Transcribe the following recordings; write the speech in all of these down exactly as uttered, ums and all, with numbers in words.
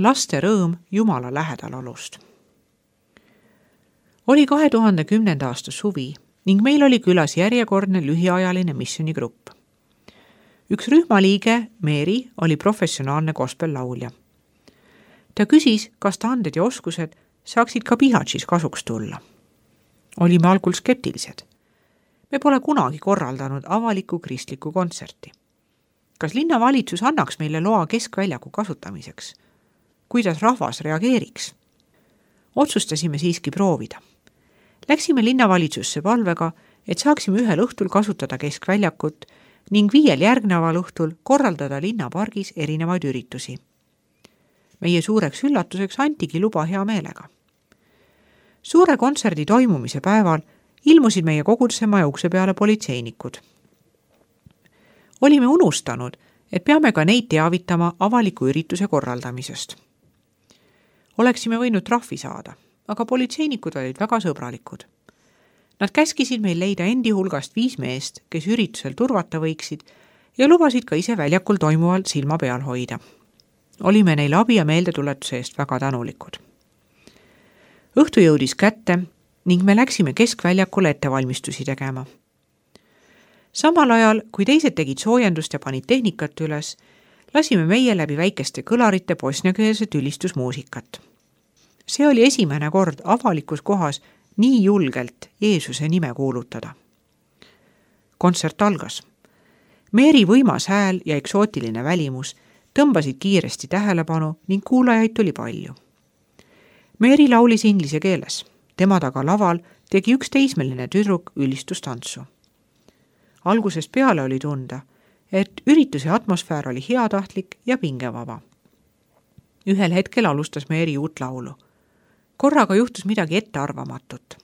laste rõõm Jumala lähedal olust. Oli kahe tuhande kümnenda aasta suvi ning meil oli külas järjekordne lühiajaline missioonigrupp. Üks rühmaliige, Meeri, oli professionaalne gospel-laulja. Ta küsis, kas ta anded ja oskused saaksid ka Bihaćis kasuks tulla. Olime algul skeptilised. Me pole kunagi korraldanud avalikku kristlikku kontserti. Kas linnavalitsus annaks meile loa keskväljaku kasutamiseks? Kuidas rahvas reageeriks? Otsustasime siiski proovida. Läksime linnavalitsusse palvega, et saaksime ühel õhtul kasutada keskväljakut ning viiel järgneval õhtul korraldada linnapargis erinevaid üritusi. Meie suureks üllatuseks antigi luba hea meelega. Suure kontserdi toimumise päeval ilmusid meie koguduse maja ukse peale politseinikud. Olime unustanud, et peame ka neid teavitama avaliku ürituse korraldamisest. Oleksime võinud trahvi saada, aga politseinikud olid väga sõbralikud. Nad käskisid meil leida endi hulgast viis meest, kes üritusel turvata võiksid ja lubasid ka ise väljakul toimuvalt silma peal hoida. Olime neile abi ja meeldetuletuse eest väga tänulikud. Õhtu jõudis kätte ning me läksime keskväljakule ettevalmistusi tegema. Samal ajal, kui teised tegid soojendust ja panid tehnikat üles, lasime meie läbi väikeste kõlarite bosniakeelset ülistusmuusikat. See oli esimene kord avalikus kohas nii julgelt Jeesuse nime kuulutada. Kontsert algas. Meeri võimas hääl ja eksootiline välimus tõmbasid kiiresti tähelepanu ning kuulajaid tuli palju. Meeri laulis inglise keeles. Tema taga laval tegi üks teismeline tüdruk ülistustantsu. Algusest peale oli tunda, et ürituse atmosfäär oli heatahtlik ja pingevaba. Ühel hetkel alustas Meeri uut laulu. Korraga juhtus midagi ettearvamatut.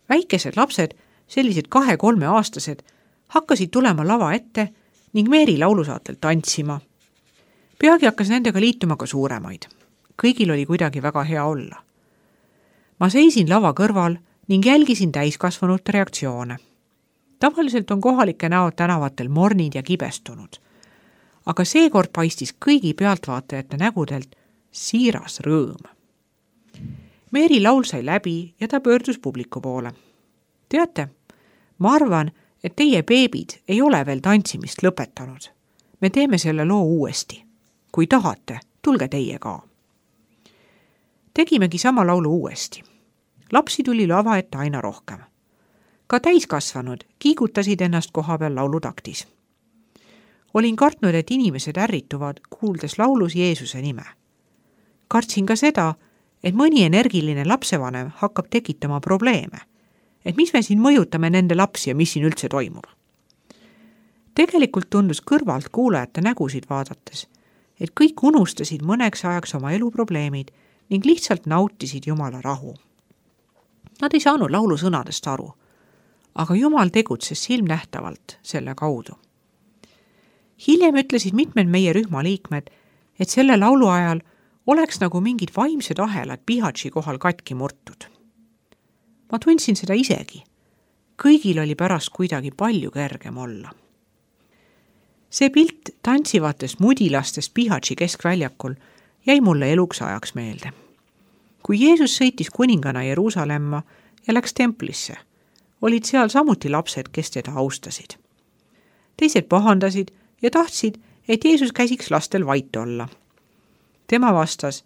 Väikesed lapsed, sellised kahe-kolme aastased, hakkasid tulema lava ette ning Meeri laulusaatel tantsima. Peagi hakkas nendega liituma ka suuremaid. Kõigil oli kuidagi väga hea olla. Ma seisin lava kõrval ning jälgisin täiskasvanute reaktsioone. Tavaliselt on kohalike näod tänavatel mornid ja kibestunud. Aga seekord paistis kõigi pealtvaatajate nägudelt siiras rõõm. Meeri laul sai läbi ja ta pöördus publiku poole. Teate, ma arvan, et teie beebid ei ole veel tantsimist lõpetanud. Me teeme selle loo uuesti. Kui tahate, tulge teie ka. Tegimegi sama laulu uuesti. Lapsi tuli lava ette aina rohkem. Ka täiskasvanud kiigutasid ennast koha peal laulutaktis. Olin kartnud, et inimesed ärrituvad, kuuldes laulus Jeesuse nime. Kartsin ka seda, et mõni energiline lapsevanem hakkab tekitama probleeme, et mis me siin mõjutame nende lapsi ja mis siin üldse toimub. Tegelikult tundus kõrvalt kuulajate nägusid vaadates, et kõik unustasid mõneks ajaks oma eluprobleemid ning lihtsalt nautisid Jumala rahu. Nad ei saanud laulu sõnadest aru, aga Jumal tegutses silmnähtavalt selle kaudu. Hiljem ütlesid mitmed meie rühma liikmed, et selle laulu ajal oleks nagu mingid vaimsed ahelad Bihaći kohal katki murtud. Ma tundsin seda isegi. Kõigil oli pärast kuidagi palju kergem olla. See pilt tantsivatest mudilastest Bihaći keskväljakul jäi mulle eluks ajaks meelde. Kui Jeesus sõitis kuningana Jeruusalemma ja läks templisse, olid seal samuti lapsed, kes teda austasid. Teised pahandasid ja tahtsid, et Jeesus käsiks lastel vait olla. Tema vastas,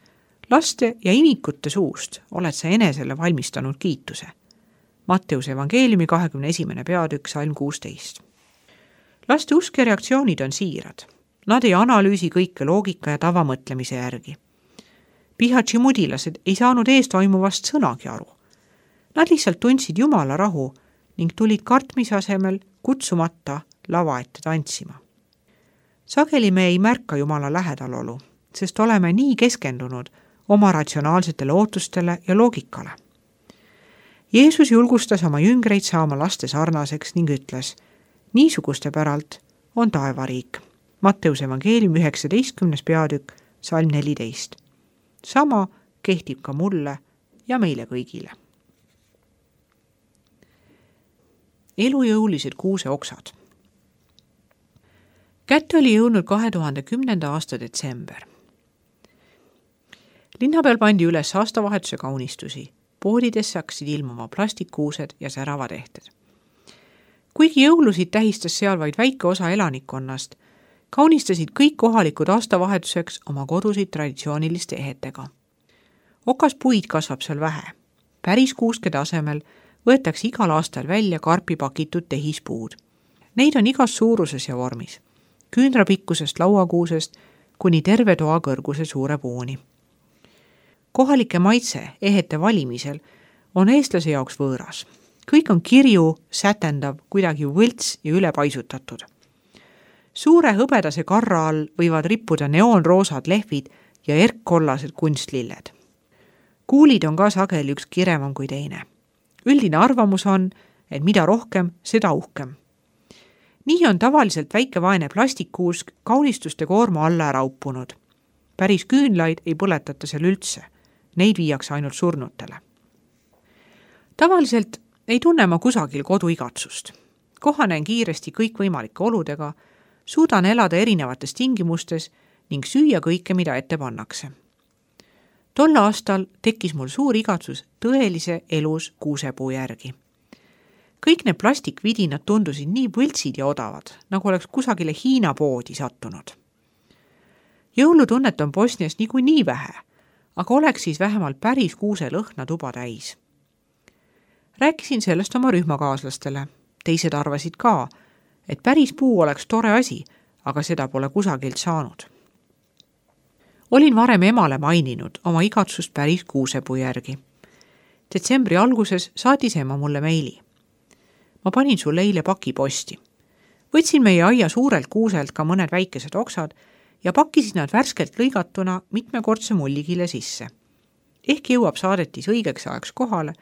laste ja imikute suust oled sa enesele valmistanud kiituse. Matteuse evangeeliumi kahekümne esimene peatükk salm kuusteist. Laste usk ja reaktsioonid on siirad. Nad ei analüüsi kõike loogika ja tavamõtlemise järgi. Bihaći mudilased ei saanud ees toimuvast sõnagi aru. Nad lihtsalt tundsid Jumala rahu ning tulid kartmise asemel kutsumata lava ette tantsima. Sageli me ei märka Jumala lähedalolu, sest oleme nii keskendunud oma ratsionaalsetele ootustele ja loogikale. Jeesus julgustas oma jüngreid saama laste sarnaseks ning ütles, niisuguste päralt on taevariik. Matteuse evangeelium üheksateistkümnes peatükk, salm neliteist. Sama kehtib ka mulle ja meile kõigile. Elujõulised kuuseoksad. Kätte oli jõudnud kahe tuhande kümnenda aasta detsember. linna peal pandi üles aastavahetuse kaunistusi. Poodidesse hakkasid ilmuma plastikkuused ja säravatehted. Kuigi jõulusid tähistas seal vaid väike osa elanikkonnast, kaunistasid kõik kohalikud aastavahetuseks oma kodusid traditsiooniliste ehetega. Okaspuid kasvab seal vähe. Päris kuuskede asemel võetakse igal aastal välja karpi pakitud tehispuud. Neid on igas suuruses ja vormis, küünrapikkusest lauakuusest kuni terve toa kõrguse suure puuni. Kohalike maitse ehete valimisel on eestlase jaoks võõras. Kõik on kirju, sätendav, kuidagi võlts ja ülepaisutatud. Suure hõbedase karra all võivad rippuda neoonroosad lehvid ja erkkollased kunstlilled. Kuulid on ka sageli üks kirevam kui teine. Üldine arvamus on, et mida rohkem, seda uhkem. Nii on tavaliselt väike vaene plastikkuusk kaunistuste koorma alla ära uppunud. Päris küünlaid ei põletata seal üldse. Neid viiakse ainult surnutele. Tavaliselt ei tunne ma kusagil koduigatsust. Kohanen kiiresti kõikvõimalike oludega, suudan elada erinevates tingimustes ning süüa kõike, mida ette pannakse. Tol aastal tekkis mul suur igatsus tõelise elus kuusepuu järgi. Kõik need plastikvidinad tundusid nii võltsid ja odavad, nagu oleks kusagile Hiina poodi sattunud. Jõulutunnet on Bosnias niikuinii nii vähe, aga oleks siis vähemalt päris kuuse lõhna tuba täis. Rääkisin sellest oma rühmakaaslastele. Teised arvasid ka, et päris puu oleks tore asi, aga seda pole kusagilt saanud. Olin varem emale maininud oma igatsust päris kuusepuu järgi. Detsembri alguses saatis ema mulle meili. Ma panin sulle eile paki posti. Võtsin meie aia suurelt kuuselt ka mõned väikesed oksad ja pakkisin nad värskelt lõigatuna mitmekordse mullikile sisse. Ehk jõuab saadetis õigeks ajaks kohale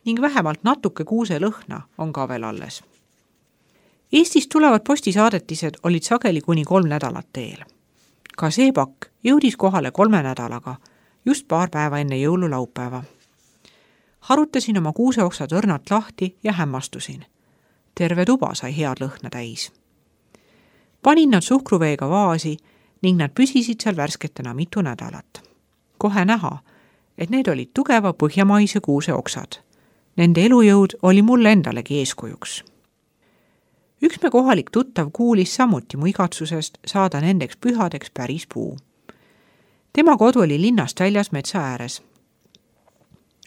ning vähemalt natuke kuuse lõhna on ka veel alles. Eestist tulevad postisaadetised olid sageli kuni kolm nädalat teel. Ka see pakk jõudis kohale kolme nädalaga, just paar päeva enne jõululaupäeva. Harutasin oma kuuseoksad õrnalt lahti ja hämmastusin. Terve tuba sai head lõhna täis. Panin nad suhkruveega vaasi ning nad püsisid seal värsketena mitu nädalat. Kohe näha, et need olid tugeva põhjamaise kuuse oksad. Nende elujõud oli mulle endalegi eeskujuks. Üks me kohalik tuttav kuulis samuti mu igatsusest saada nendeks pühadeks päris puu. Tema kodu oli linnast väljas metsa ääres.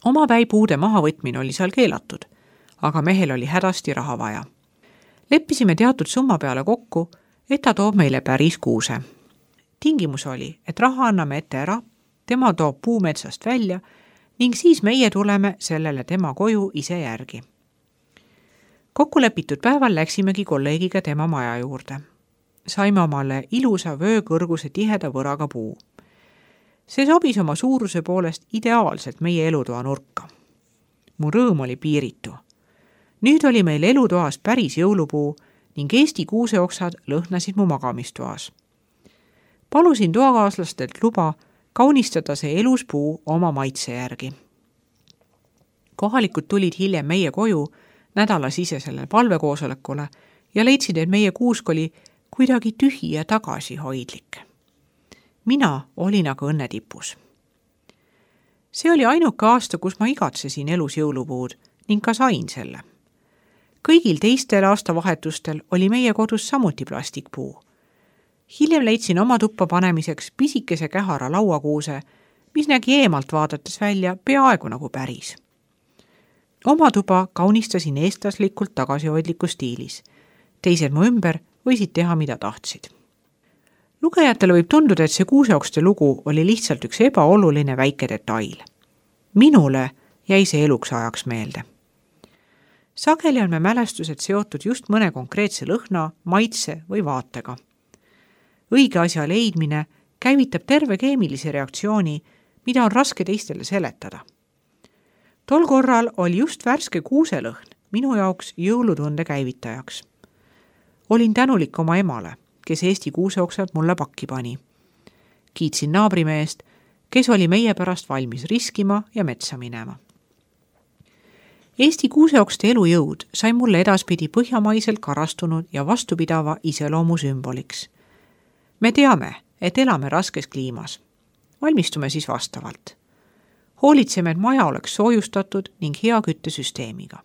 Oma väipuude mahavõtmine oli seal keelatud, aga mehel oli hädasti raha vaja. Leppisime teatud summa peale kokku, et ta toob meile päris kuuse. Tingimus oli, et raha anname ette ära, tema toob puu metsast välja ning siis meie tuleme sellele tema koju ise järgi. Kokkulepitud päeval läksimegi kolleegiga tema maja juurde. Saime omale ilusa vöökõrguse tiheda võraga puu. See sobis oma suuruse poolest ideaalselt meie elutoa nurka. Mu rõõm oli piiritu. Nüüd oli meil elutoas päris jõulupuu ning Eesti kuuseoksad lõhnasid mu magamistoas. Palusin toakaaslastelt luba kaunistada see elus puu oma maitse järgi. Kohalikud tulid hiljem meie koju nädalasisesele palvekoosolekule ja leidsid, et meie kuusk oli kuidagi tühi ja tagasihoidlik. Mina olin aga õnnetipus. See oli ainuke aasta, kus ma igatsesin elus jõulupuud ning ka sain selle. Kõigil teistel aastavahetustel oli meie kodus samuti plastikpuu. Hiljem leidsin oma tuppa panemiseks pisikese kähara lauakuuse, mis nägi eemalt vaadates välja peaaegu nagu päris. Oma tuba kaunistasin eestlaslikult tagasihoidliku stiilis. Teised mu ümber võisid teha, mida tahtsid. Lugejatele võib tunduda, et see kuuseokste lugu oli lihtsalt üks ebaoluline väike detail. Minule jäi see eluks ajaks meelde. Sageli on me mälestused seotud just mõne konkreetse lõhna, maitse või vaatega. Õige asja leidmine käivitab terve keemilise reaktsiooni, mida on raske teistele seletada. Tol korral oli just värske kuuselõhn minu jaoks jõulutunde käivitajaks. Olin tänulik oma emale, kes Eesti kuuseoksad mulle pakki pani. Kiitsin naabrimeest, kes oli meie pärast valmis riskima ja metsa minema. Eesti kuuseokste elujõud sai mulle edaspidi põhjamaiselt karastunud ja vastupidava iseloomu sümboliks. Me teame, et elame raskes kliimas. Valmistume siis vastavalt. Hoolitseme, et maja oleks soojustatud ning hea küttesüsteemiga.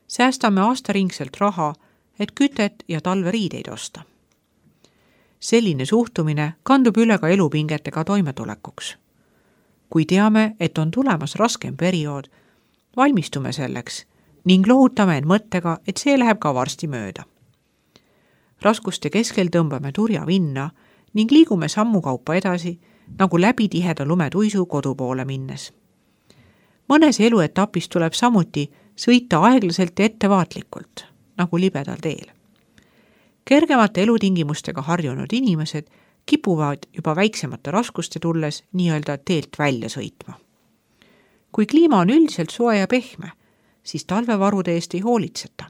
Säästame aastaringselt raha, et kütet ja talveriideid osta. Selline suhtumine kandub üle ka elupingetega toimetulekuks. Kui teame, et on tulemas raskem periood, valmistume selleks ning lohutame end mõttega, et see läheb ka varsti mööda. Raskuste keskel tõmbame turja vinna ning liigume sammukaupa edasi, nagu läbi tiheda lumetuisu kodu poole minnes. Mõnes eluetapis tuleb samuti sõita aeglaselt ja ettevaatlikult, nagu libedal teel. Kergemate elutingimustega harjunud inimesed kipuvad juba väiksemate raskuste tulles nii-öelda teelt välja sõitma. Kui kliima on üldiselt soe ja pehme, siis talvevarude eest ei hoolitseta.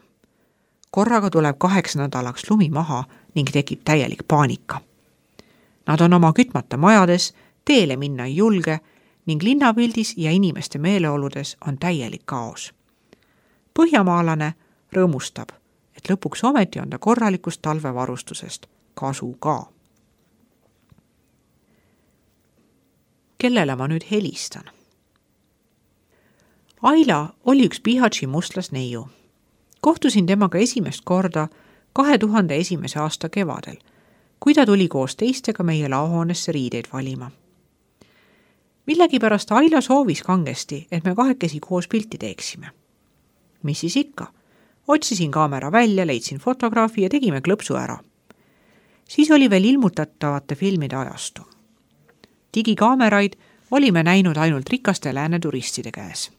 Korraga tuleb kaheks nädalaks lumi maha ning tekib täielik paanika. Nad on oma kütmata majades, teele minna ei julge ning linnapildis ja inimeste meeleoludes on täielik kaos. Põhjamaalane rõõmustab, et lõpuks ometi on ta korralikust talvevarustusest kasu ka. Kellele ma nüüd helistan? Aila oli üks Bihatši mustlasneiu. Kohtusin temaga esimest korda kahe tuhande esimese aasta kevadel, kui ta tuli koos teistega meie laohoonesse riideid valima. Millegipärast Aila soovis kangesti, et me kahekesi koos pilti teeksime. Mis siis ikka? Otsisin kaamera välja, leidsin fotograafi ja tegime klõpsu ära. Siis oli veel ilmutatavate filmide ajastu. Digikaameraid olime näinud ainult rikaste lääne turistide käes.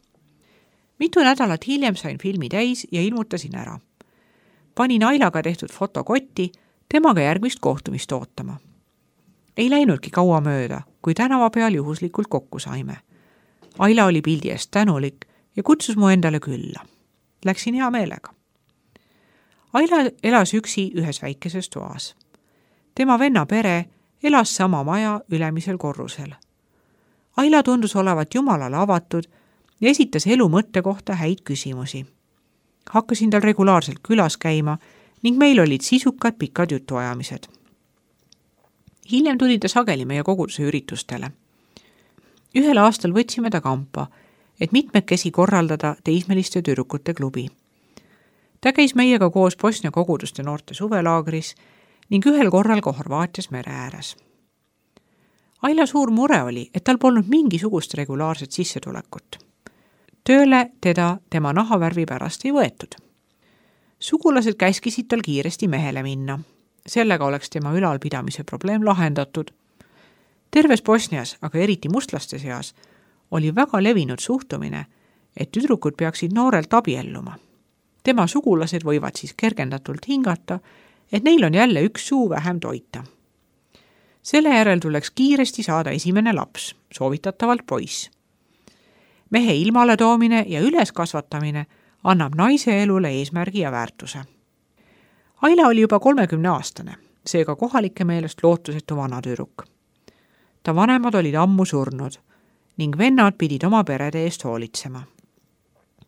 Mitu nädalat hiljem sain filmi täis ja ilmutasin ära. Panin Ailaga tehtud fotokotti, temaga järgmist kohtumist ootama. Ei läinudki kaua mööda, kui tänava peal juhuslikult kokku saime. Aila oli pildi eest tänulik ja kutsus mu endale külla. Läksin hea meelega. Aila elas üksi ühes väikeses toas. Tema venna pere elas sama maja ülemisel korrusel. Aila tundus olevat jumalale avatud ja esitas elu mõtte kohta häid küsimusi. Hakkasin tal regulaarselt külas käima ning meil olid sisukad pikad jutuajamised. Hiljem tuli ta sageli meie koguduse üritustele. Ühel aastal võtsime ta kampa, et mitmekesi korraldada teismeliste tüdrukute klubi. Ta käis meiega koos Bosnia koguduste noorte suvelaagris ning ühel korral ka Horvaatias mere ääres. Aila suur mure oli, et tal polnud mingisugust regulaarset sissetulekut. Tööle teda tema nahavärvi pärast ei võetud. Sugulased käskisid tal kiiresti mehele minna. Sellega oleks tema ülalpidamise probleem lahendatud. Terves Bosnias, aga eriti mustlaste seas, oli väga levinud suhtumine, et tüdrukud peaksid noorelt abielluma. Tema sugulased võivad siis kergendatult hingata, et neil on jälle üks suu vähem toita. Selle järel tuleks kiiresti saada esimene laps, soovitatavalt poiss. Mehe ilmale toomine ja üleskasvatamine annab naise elule eesmärgi ja väärtuse. Aila oli juba kolmekümne aastane, seega kohalike meelest lootusetu vanatüdruk. Ta vanemad olid ammu surnud ning vennad pidid oma perede eest hoolitsema.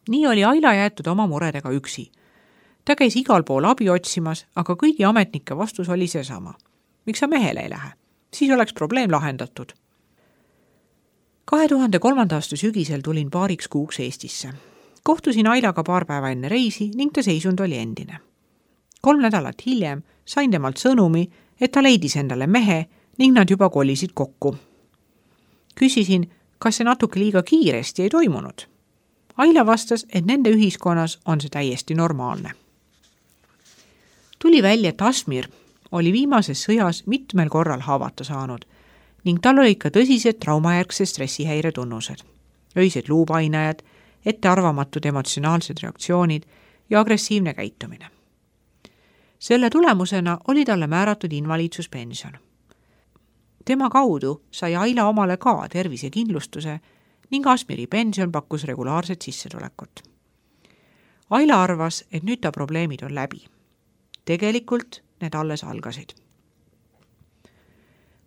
Nii oli Aila jäetud oma muredega üksi. Ta käis igal pool abi otsimas, aga kõigi ametnike vastus oli seesama. Miks sa mehele ei lähe? Siis oleks probleem lahendatud. kahe tuhande kolmanda aasta sügisel tulin paariks kuuks Eestisse. Kohtusin Ailaga paar päeva enne reisi ning ta seisund oli endine. Kolm nädalat hiljem sain temalt sõnumi, et ta leidis endale mehe ning nad juba kolisid kokku. Küsisin, kas see natuke liiga kiiresti ei toimunud. Aila vastas, et nende ühiskonnas on see täiesti normaalne. Tuli välja, et Asmir oli viimases sõjas mitmel korral haavata saanud ning tal olid ka tõsised traumajärgse stressihäire tunnused. Öised luupainajad, ettearvamatud emotsionaalsed reaktsioonid ja agressiivne käitumine. Selle tulemusena oli talle määratud invaliidsuspension. Tema kaudu sai Aila omale ka tervisekindlustuse ning Asmiri pension pakkus regulaarset sissetulekut. Aila arvas, et nüüd ta probleemid on läbi. Tegelikult need alles algasid.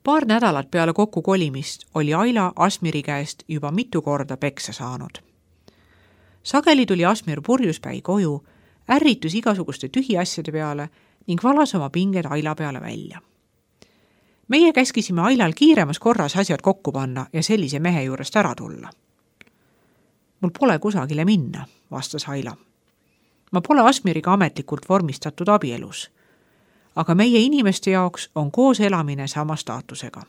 Paar nädalat peale kokku kolimist oli Aila Asmiri käest juba mitu korda peksa saanud. Sageli tuli Asmir purjuspäi koju, ärritus igasuguste tühiasjade peale ning valas oma pinged Aila peale välja. meie käskisime Ailal kiiremas korras asjad kokku panna ja sellise mehe juurest ära tulla. Mul pole kusagile minna, vastas Aila. Ma pole Asmiriga ametlikult vormistatud abielus, aga meie inimeste jaoks on koos elamine sama staatusega.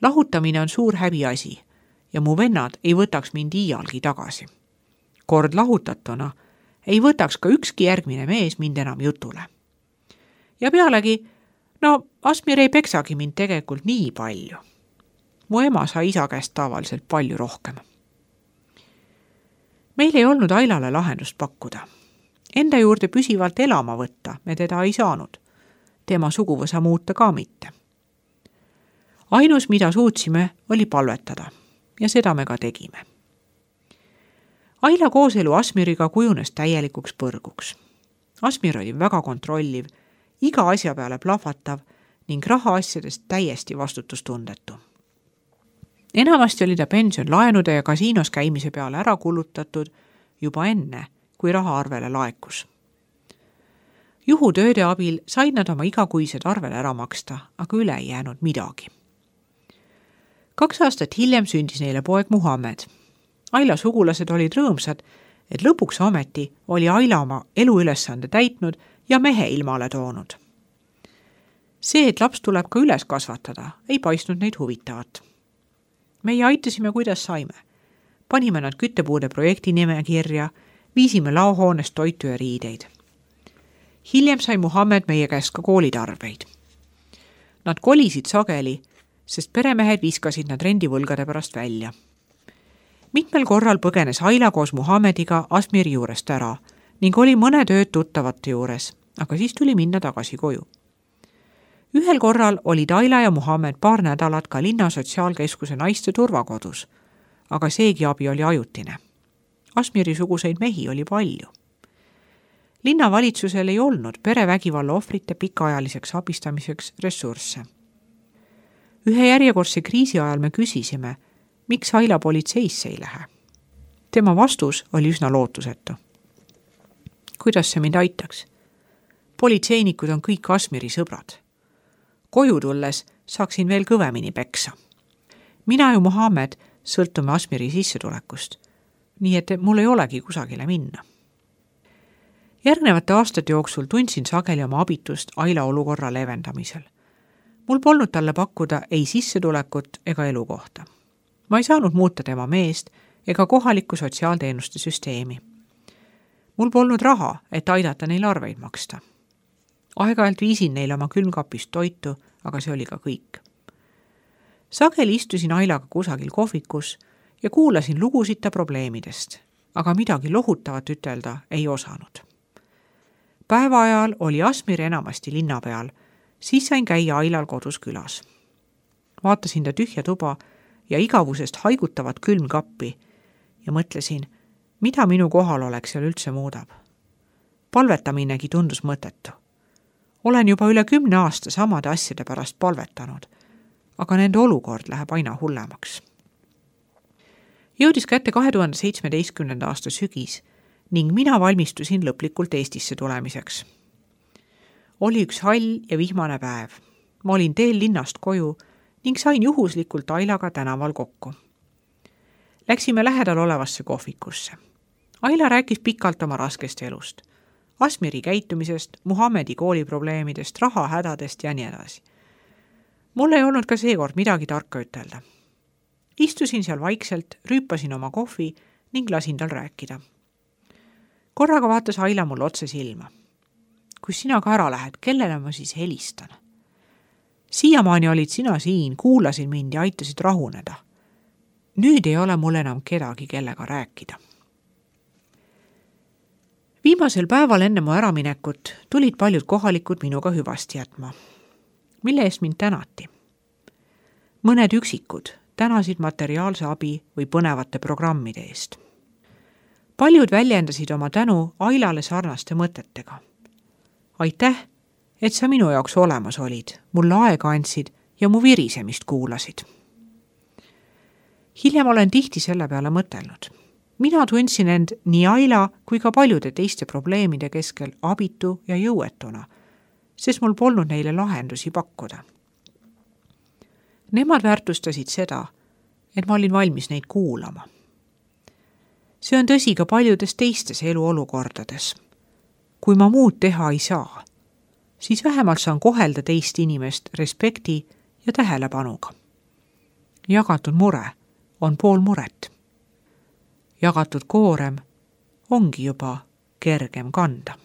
Lahutamine on suur häbiasi ja mu vennad ei võtaks mind iialgi tagasi. Kord lahutatuna ei võtaks ka ükski järgmine mees mind enam jutule. Ja pealegi, no Asmir ei peksagi mind tegelikult nii palju. Mu ema sai isa käest tavaliselt palju rohkem. Meil ei olnud Ailale lahendust pakkuda. Enda juurde püsivalt elama võtta me teda ei saanud. Tema suguvõsa muuta ka mitte. Ainus, mida suutsime, oli palvetada ja seda me ka tegime. Aila kooselu Asmiriga kujunes täielikuks põrguks. Asmir oli väga kontrolliv, iga asja peale plahvatav ning rahaasjadest täiesti vastutustundetu. Enamasti oli ta pension laenude ja kasiinos käimise peale ära kulutatud juba enne, kui raha arvele laekus. Juhutööde abil said nad oma igakuised arvele ära maksta, aga üle ei jäänud midagi. Kaks aastat hiljem sündis neile poeg Muhammed. Aila sugulased olid rõõmsad, et lõpuks ometi oli Aila oma eluülesande täitnud ja mehe ilmale toonud. See, et laps tuleb ka üles kasvatada, ei paistnud neid huvitavat. Meie aitasime, kuidas saime. Panime nad küttepuude projekti nimekirja, viisime laohoonest toitu ja riideid. Hiljem sai Muhammed meie käest ka koolitarbeid. Nad kolisid sageli, sest peremehed viskasid nad rendivõlgade pärast välja. Mitmel korral põgenes Aila koos Muhammediga Asmiri juurest ära ning oli mõne tööd tuttavate juures, aga siis tuli minna tagasi koju. Ühel korral olid Aila ja Muhammed paar nädalat ka linna sotsiaalkeskuse naiste turvakodus, aga seegi abi oli ajutine. Asmiri suguseid mehi oli palju. Linnavalitsusel ei olnud perevägivalla ohvrite pikaajaliseks abistamiseks ressursse. Ühe järjekordse kriisi ajal me küsisime, miks Aila politseisse ei lähe. Tema vastus oli üsna lootusetu. Kuidas see mind aitaks? Politseinikud on kõik Asmiri sõbrad. Koju tulles saaksin veel kõvemini peksa. Mina ja Muhammed sõltume Asmiri sissetulekust, nii et mul ei olegi kusagile minna. Järgnevate aastate jooksul tundsin sageli oma abitust Aila olukorra levendamisel. Mul polnud talle pakkuda ei sissetulekut ega elukohta. Ma ei saanud muuta tema meest ega kohalikku sotsiaalteenuste süsteemi. Mul polnud raha, et aidata neil arveid maksta. Aeg-ajalt viisin neile oma külmkapist toitu, aga see oli ka kõik. Sageli istusin Ailaga kusagil kohvikus ja kuulasin lugusid ta probleemidest, aga midagi lohutavat ütelda ei osanud. Päeva ajal oli Asmir enamasti linna peal, siis sain käia Ailal kodus külas. Vaatasin ta tühja tuba ja igavusest haigutavat külmkappi ja mõtlesin, mida minu kohal oleks seal üldse muudab. Palvetaminegi tundus mõttetu. Olen juba üle kümne aasta samade asjade pärast palvetanud, aga nende olukord läheb aina hullemaks. Jõudis kätte kahe tuhande seitsmeteistkümnenda aasta sügis ning mina valmistusin lõplikult Eestisse tulemiseks. Oli üks hall ja vihmane päev. Ma olin teel linnast koju ning sain juhuslikult Ailaga tänaval kokku. Läksime lähedal olevasse kohvikusse. Aila rääkis pikalt oma raskest elust. Asmiri käitumisest, Muhammedi kooliprobleemidest, rahahädadest ja nii edasi. Mul ei olnud ka seekord midagi tarka ütelda. Istusin seal vaikselt, rüüpasin oma kohvi ning lasin tal rääkida. Korraga vaatas Aila mul otse silma. Kui sina ka ära lähed, kellele ma siis helistan? Siiamaani olid sina siin, kuulasid mind ja aitasid rahuneda. Nüüd ei ole mul enam kedagi, kellega rääkida. Viimasel päeval enne mu äraminekut tulid paljud kohalikud minuga hüvasti jätma. Mille eest mind tänati? Mõned üksikud tänasid materiaalse abi või põnevate programmide eest. Paljud väljendasid oma tänu Ailale sarnaste mõtetega. Aitäh, et sa minu jaoks olemas olid, mulle aega andsid ja mu virisemist kuulasid. Hiljem olen tihti selle peale mõtelnud. Mina tundsin end nii Aila kui ka paljude teiste probleemide keskel abitu ja jõuetuna, sest mul polnud neile lahendusi pakkuda. Nemad väärtustasid seda, et ma olin valmis neid kuulama. See on tõsi ka paljudes teistes eluolukordades. Kui ma muud teha ei saa, siis vähemalt saan kohelda teist inimest respekti ja tähelepanuga. Jagatud mure on pool muret. Jagatud koorem ongi juba kergem kanda.